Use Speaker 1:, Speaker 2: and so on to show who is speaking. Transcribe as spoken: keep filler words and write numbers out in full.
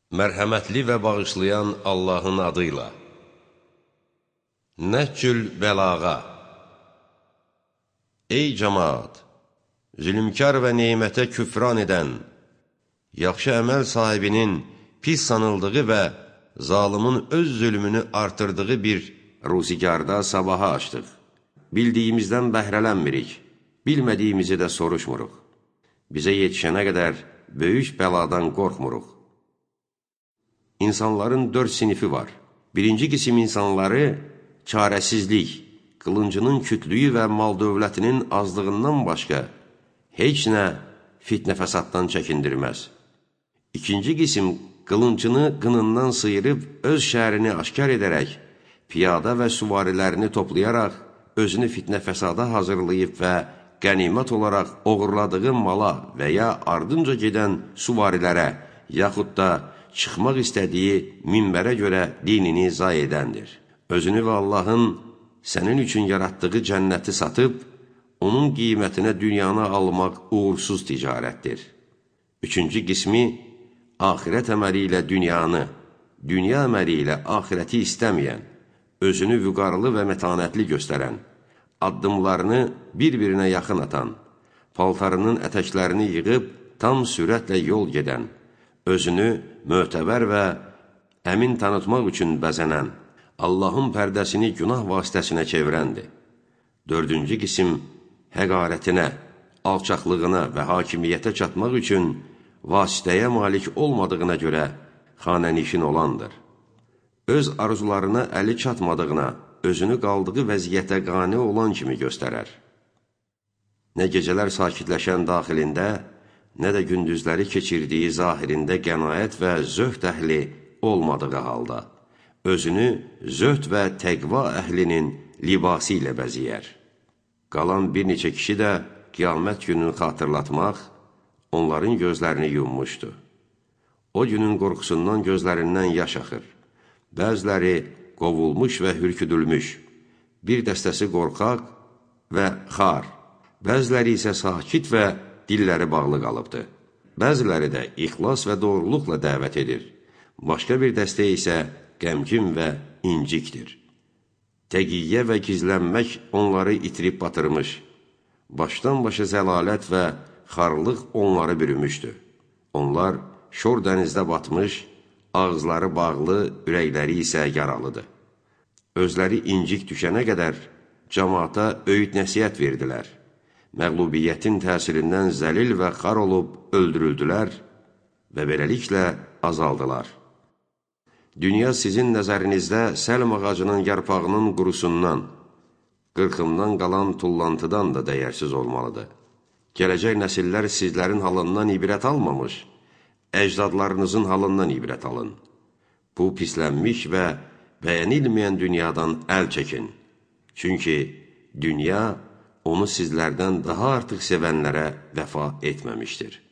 Speaker 1: Mərhəmətli və bağışlayan Allahın adıyla. Nəhcül bəlağa. Ey cəmaat! Zülmkar və neymətə küfran edən, yaxşı əməl sahibinin pis sanıldığı və zalımın öz zülmünü artırdığı bir ruzigarda sabaha açdıq. Bildiyimizdən bəhrələnmirik, bilmədiyimizi də soruşmuruq. Bizə yetişənə qədər böyük bəladan qorxmuruq. İnsanların dörd sinifi var. Birinci qisim insanları çarəsizlik, qılıncının kütlüyü və mal-dövlətinin azlığından başqa heç nə fitnə fəsaddan çəkindirməz. İkinci qisim qılıncını qınından sıyırıb öz şəhərini aşkar edərək, piyada və süvarilərini toplayaraq, özünü fitnə fəsada hazırlayıb və qənimət olaraq oğurladığı mala və ya ardınca gedən süvarilərə, yaxud da çıxmaq istədiyi minbərə görə dinini zay edəndir. Özünü və Allahın sənin üçün yaratdığı cənnəti satıb, onun qiymətinə dünyanı almaq uğursuz ticarətdir. Üçüncü qismi, axirət əməli ilə dünyanı, dünya əməli ilə axirəti istəməyən, özünü vüqarlı və mətanətli göstərən, addımlarını bir-birinə yaxın atan, paltarının ətəklərini yığıb tam sürətlə yol gedən, özünü mötəbər və əmin tanıtmaq üçün bəzənən, Allahın pərdəsini günah vasitəsinə çevirəndir. Dördüncü qisim həqarətinə, alçaqlığına və hakimiyyətə çatmaq üçün vasitəyə malik olmadığına görə xanənişin olandır. Öz arzularına əli çatmadığına, özünü qaldığı vəziyyətə qane olan kimi göstərər. Nə gecələr sakitləşən daxilində, nə də gündüzləri keçirdiyi zahirində qənaət və zöhd əhli olmadığı halda, özünü zöhd və təqva əhlinin libası ilə bəziyər. Qalan bir neçə kişi də qiyamət gününü xatırlatmaq, onların gözlərini yummuşdu. O günün qorxusundan gözlərindən yaş axır. Bəziləri qovulmuş və hürküdülmüş, bir dəstəsi qorxaq və xar, bəziləri isə sakit və dilləri bağlı qalıbdır. Bəziləri də ixlas və doğruluqla dəvət edir. Başqa bir dəstə isə qəmgin və incikdir. Təqiyyə və gizlənmək onları itirib batırmış. Başdan başa zəlalət və xarlıq onları bürümüşdür. Onlar şor dənizdə batmış, ağızları bağlı, ürəkləri isə yaralıdır. Özləri incik düşənə qədər cəmaata öyüd nəsihət verdilər. Məğlubiyyətin təsirindən zəlil və xar olub öldürüldülər və beləliklə azaldılar. Dünya sizin nəzərinizdə səlm ağacının yarpağının qurusundan, qırxımdan qalan tullantıdan da dəyərsiz olmalıdır. Gələcək nəsillər sizlərin halından ibrət almamış, əcdadlarınızın halından ibrət alın. Bu pislənmiş və bəyənilməyən dünyadan əl çəkin. Çünki dünya onu sizlərdən daha artıq sevənlərə vəfa etməmişdir.